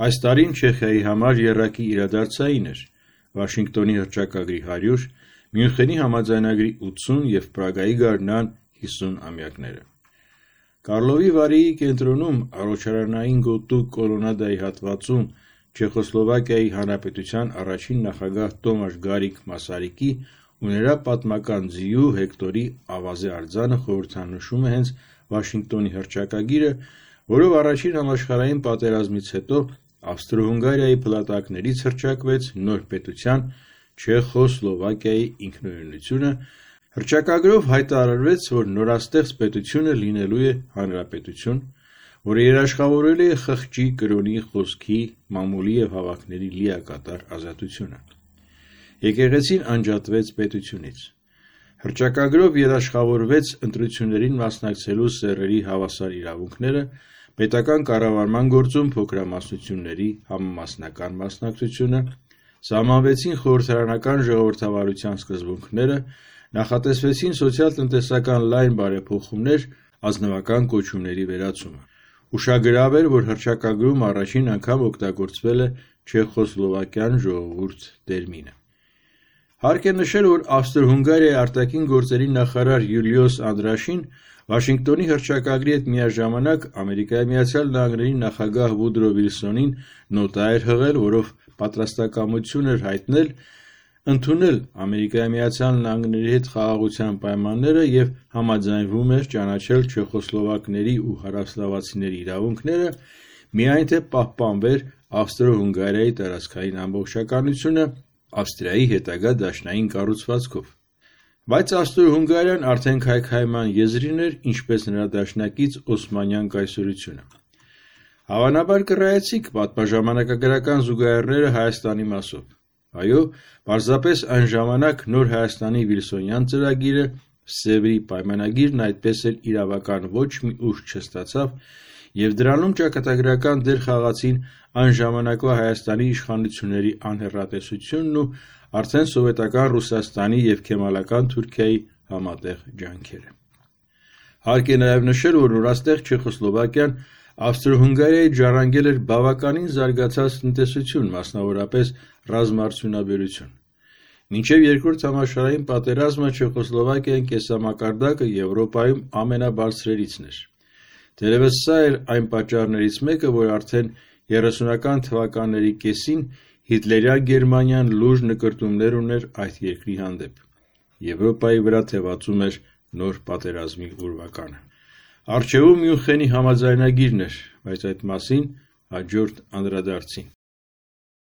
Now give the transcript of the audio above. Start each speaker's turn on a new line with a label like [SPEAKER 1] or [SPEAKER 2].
[SPEAKER 1] Այս տարին Չեխիայի համար եռակի իրադարձային էր. Վաշինգտոնի հռչակագրի 100, Մյունխենի համաձայնագրի 80 և Պրագայի գարնան 50 ամյակները։ Կարլովի Վարիի կենտրոնում առաջարանային գոտու կոլոնադայի հատվածում Չեխոսլովակիայի Հանրապետության առաջին նախագահ Տոմաշ Գարիկ Մասարիկի ու նրա պատմական ձիու Հեկտորի ավազե արձանը խորհրդանշում է հենց Վաշինգտոնի հռչակագիրը, որով առաջին համաշխարհային պատերազմից հետո Ավստրո-Հունգարիայի փլատակներից հռչակվեց նոր պետության Չեխոսլովակիայի ինքնուրույնությունը, հռչակագրով հայտարարվեց, որ նորաստեղծ պետությունը լինելու է հանրապետություն, որը երաշխավորել է խղճի, կրոնի, խոսքի, մամուլի և հավաքների լիակատար ազատությունը։ Եկեղեցին անջատվեց պետությունից։ Հռչակագրով երաշխավորվեց ընտրություններին մասնակցելու սեռերի հավասար իրավունքները, պետական կառավարման գործում փոքրամասնությունների համամասնական մասնակցությունը, սահմանվեցին խորհրդարանական ժողովրդավարության սկզբունքները, նախատեսվեցին սոցիալ-տնտեսական լայն բարեփոխումներ, ազնվական կոչումների վերացումը։ Ուշագրավ էր, որ հռչակագրում առաջին անգամ օգտագործվել է Չեխոսլովակյան ժողովուրդ տերմինը։ Հարկ է նշել, որ Ավստրո-Հունգարիայի արտաքին գործերի նախարար Յուլիոս Անդրաշին Վաշինգտոնի հռչակագրի հետ միաժամանակ Ամերիկայի Միացյալ Նահանգների նախագահ Վուդրո Վիլսոնին նոտա էր հղել, որով պատրաստակամություն էր հայտնել ընդունել Ամերիկայի Միացյալ Նահանգների հետ խաղաղության պայմանները և համաձայնվում էր ճանաչել չեխոսլովակների ու հարավսլավացիների իրավունքները, միայն թե պահպանվեր Ավստրո-Հունգարիայի տարածքային ամբողջականությունը Ավստրիայի հետագա դաշնային կառուցվածքով։ Բայց Ավստրո-Հունգարիան արդեն քայքայման եզրին էր, ինչպես նրա դաշնակից Օսմանյան կայսրությունը։ Հավանաբար կռայեցիք պատմաժամանակագրական զուգահեռները Հայաստանի մասով։ Այո, պարզապես այն ժամանակ Նոր Հայաստանի Վիլսոնյան ծրագիրը, Սևրի պայմանագիրն այդպես էլ իրավական ոչ մի ուժ չստացավ, և դրանում ճակատագրական դեր խաղացին այն ժամանակվա Հայաստանի իշխանությունների անհեռատեսությունն ու արդեն սովետական Ռուսաստանի և Քեմալական Թուրքիայի համատեղ ջանքերը։ Հարկ է նաև նշել, որ նորաստեղծ Չեխոսլովակիան Ավստրո-Հունգարիայից ժառանգել էր բավականին զարգացած տնտեսություն, մասնավորապես ռազմաարդյունաբերություն։ Մինչև Երկրորդ համաշխարհային պատերազմը Չեխոսլովակիայի կենսամակարդակը Եվրոպայում ամենաբարձրերիցն էր։ Թերևս սա էր այն պատճառներից մեկը, որ արդեն 30-ական թվականների կեսին Հիտլերյան Գերմանիան լուրջ նկրտումներ ուներ այդ երկրի հանդեպ։ Եվրոպայի վրա թևածում էր նոր պատերազմի ուրվականը։ Առջևում Մյունխենի համաձայնագիրն էր, բայց այդ մասին հաջորդ անդրադարձին։